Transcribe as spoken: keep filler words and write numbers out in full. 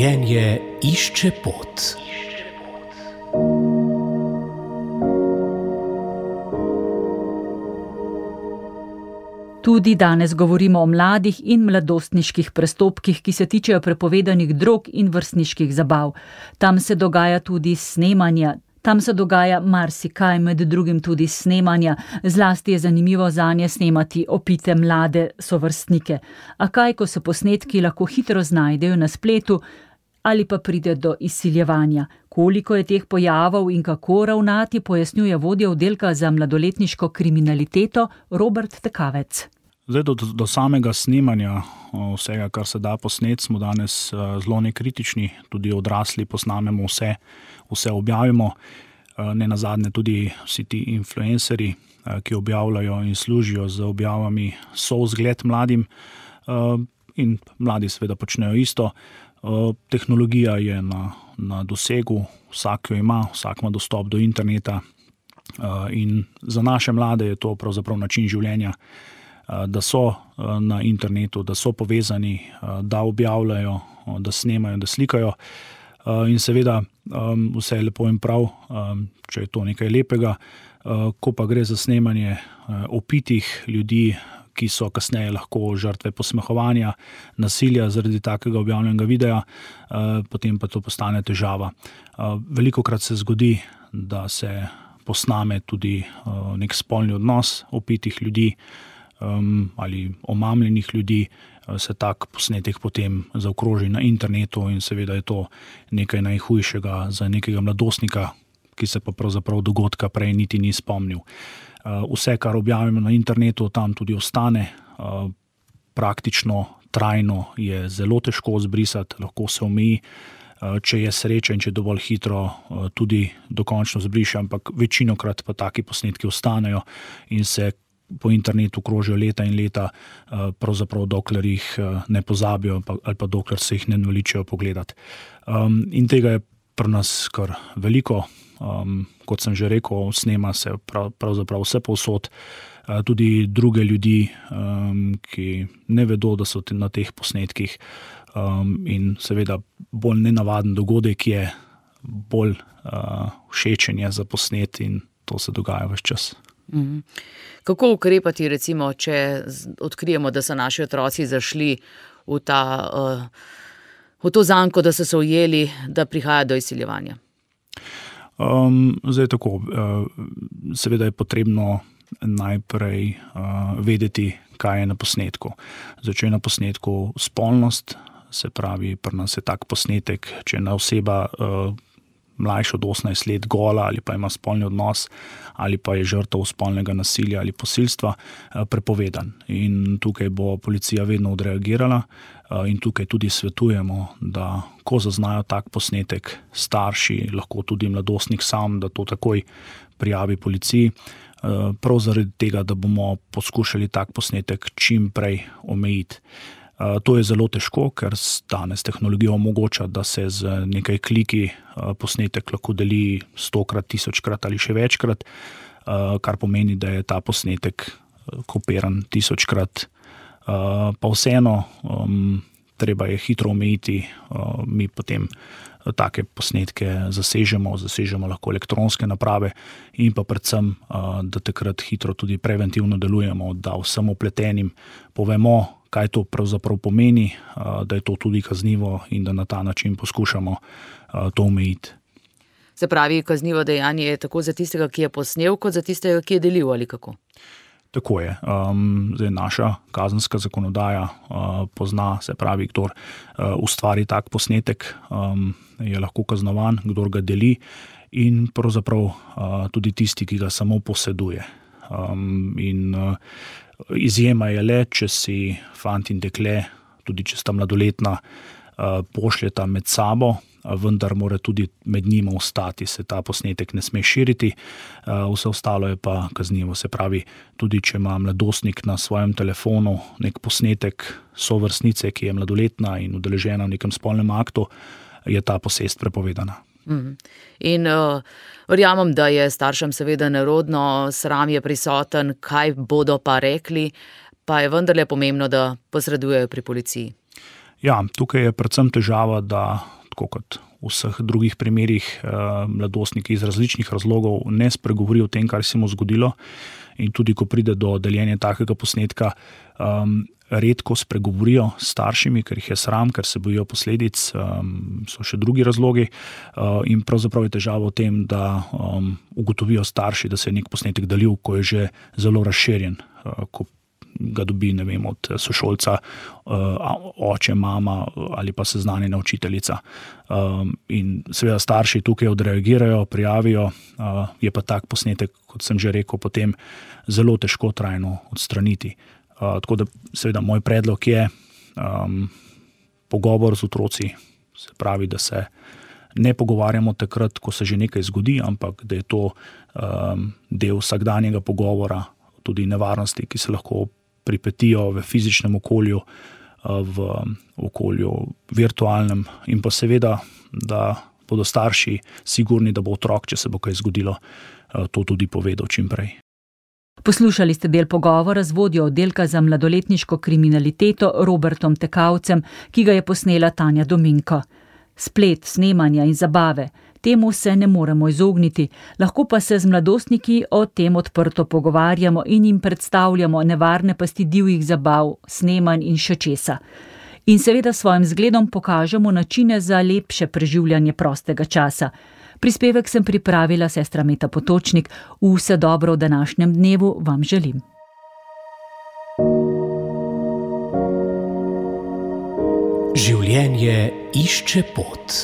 Življenje išče pot. Tudi danes govorimo o mladih in mladostniških prestopkih, ki se tičejo prepovedanih drog in vrstniških zabav. Tam se dogaja tudi snemanja. Tam se dogaja marsikaj, med drugim tudi snemanja. Zlasti je zanimivo zanje snemati opite mlade sovrstnike. A kaj, ko se posnetki lahko hitro znajdejo na spletu ali pa pride do izsiljevanja? Koliko je teh pojavov in kako ravnati, pojasnjuje vodja oddelka za mladoletniško kriminaliteto Robert Tekavec. Zdaj, do, do samega snemanja vsega, kar se da posnet, smo danes zelo nekritični, tudi odrasli posnamemo vse, vse objavimo. Ne nazadnje tudi vsi ti influencerji, ki objavljajo in služijo z objavami, so vzgled mladim in mladi seveda počnejo isto. Tehnologija je na, na dosegu, vsak jo ima, vsak ima dostop do interneta in za naše mlade je to pravzaprav način življenja, da so na internetu, da so povezani, da objavljajo, da snemajo, da slikajo. In seveda vse je lepo in prav, če je to nekaj lepega, ko pa gre za snemanje opitih ljudi, ki so kasneje lahko žrtve posmehovanja, nasilja zaradi takega objavljenega videa, potem pa to postane težava. Velikokrat se zgodi, da se posname tudi nek spolni odnos opitih ljudi ali omamljenih ljudi, se tak posnetek potem zaokroži na internetu in seveda je to nekaj najhujšega za nekega mladostnika, ki se pa pravzaprav dogodka prej niti ni spomnil. Vse, kar objavimo na internetu, tam tudi ostane. Praktično, trajno je zelo težko zbrisati, lahko se omeji, če je sreča in če dovolj hitro tudi dokončno zbriše, ampak večinokrat pa taki posnetki ostanejo in se po internetu krožijo leta in leta, pravzaprav dokler jih ne pozabijo ali pa dokler se jih ne naveličajo pogledati. In tega je pri nas kar veliko. Um, kot sem že rekel, snema se prav, pravzaprav vse povsod, uh, tudi druge ljudi, um, ki ne vedo, da so te, na teh posnetkih um, in seveda bolj nenavaden dogodek je, bolj uh, všečen je za posnet in to se dogaja ves čas. Mm. Kako ukrepati, recimo, če odkrijemo, da so naši otroci zašli v, ta, uh, v to zanko, da so se ujeli, da prihaja do izsiljevanja? Um, zdaj tako, uh, seveda je potrebno najprej uh, vedeti, kaj je na posnetku. Zdaj, če je na posnetku spolnost, se pravi, pri nas je tak posnetek, če je oseba uh, mlajša od osemnajst let gola ali pa ima spolni odnos ali pa je žrtev spolnega nasilja ali posilstva, uh, prepovedan. In tukaj bo policija vedno odreagirala uh, in tukaj tudi svetujemo, da ko zaznajo tak posnetek, starši, lahko tudi mladostnik sam, da to takoj prijavi policiji, prav zaradi tega, da bomo poskušali tak posnetek čim prej omejiti. To je zelo težko, ker danes tehnologija omogoča, da se z nekaj kliki posnetek lahko deli stokrat, tisočkrat ali še večkrat, kar pomeni, da je ta posnetek kopiran tisočkrat. Pa vseeno, treba je hitro omejiti, mi potem take posnetke zasežemo, zasežemo lahko elektronske naprave in pa predvsem, da takrat hitro tudi preventivno delujemo, da vsem vpletenim povemo, kaj to pravzaprav pomeni, da je to tudi kaznivo in da na ta način poskušamo to omejiti. Se pravi, kaznivo dejanje je tako za tistega, ki je posnel, kot za tistega, ki je delil ali kako? Tako je. Um, zdaj naša kazenska zakonodaja uh, pozna, se pravi, kdor uh, ustvari tak posnetek, um, je lahko kaznovan, kdor ga deli in pravzaprav uh, tudi tisti, ki ga samo poseduje. Um, in uh, izjema je le, če si fant in dekle, tudi če sta mladoletna, uh, pošljeta med sabo, vendar mora tudi med njima ostati, se ta posnetek ne sme širiti, vse ostalo je pa kaznivo. Se pravi, tudi če ima mladostnik na svojem telefonu nek posnetek sovrstnice, ki je mladoletna in udeležena v nekem spolnem aktu, je ta posest prepovedana. Mm. In uh, verjamem, da je staršem seveda nerodno, sram je prisoten, kaj bodo pa rekli, pa je vendarle pomembno, da posredujejo pri policiji. Ja, tukaj je predvsem težava, da tako kot v vseh drugih primerih mladostniki iz različnih razlogov ne spregovorijo o tem, kar se mu zgodilo, in tudi ko pride do deljenja takega posnetka, um, redko spregovorijo s staršimi, ker jih je sram, ker se bojijo posledic, um, so še drugi razlogi, uh, in pravzaprav je težava v tem, da um, ugotovijo starši, da se je nek posnetek delil, ko je že zelo razširjen, uh, ko ga dobi, ne vem, od sošolca, oče, mama ali pa seznanjena učiteljica. In seveda starši tukaj odreagirajo, prijavijo, je pa tak posnetek, kot sem že rekel, potem zelo težko trajno odstraniti. Tako da seveda moj predlog je um, pogovor z otroci, se pravi, da se ne pogovarjamo takrat, ko se že nekaj zgodi, ampak da je to um, del vsakdanjega pogovora, tudi nevarnosti, ki se lahko pripetijo v fizičnem okolju, v okolju virtualnem, in pa seveda, da bodo starši sigurni, da bo otrok, če se bo kaj zgodilo, to tudi povedal čim prej. Poslušali ste del pogovora z vodjo oddelka za mladoletniško kriminaliteto Robertom Tekavcem, ki ga je posnela Tanja Dominko. Splet, snemanja in zabave, temu se ne moremo izogniti, lahko pa se z mladostniki o tem odprto pogovarjamo in jim predstavljamo nevarne pasti divjih zabav, snemanj in še česa. In seveda svojim zgledom pokažemo načine za lepše preživljanje prostega časa. Prispevek sem pripravila sestra Meta Potočnik. Vse dobro v današnjem dnevu vam želim. Življenje išče pot.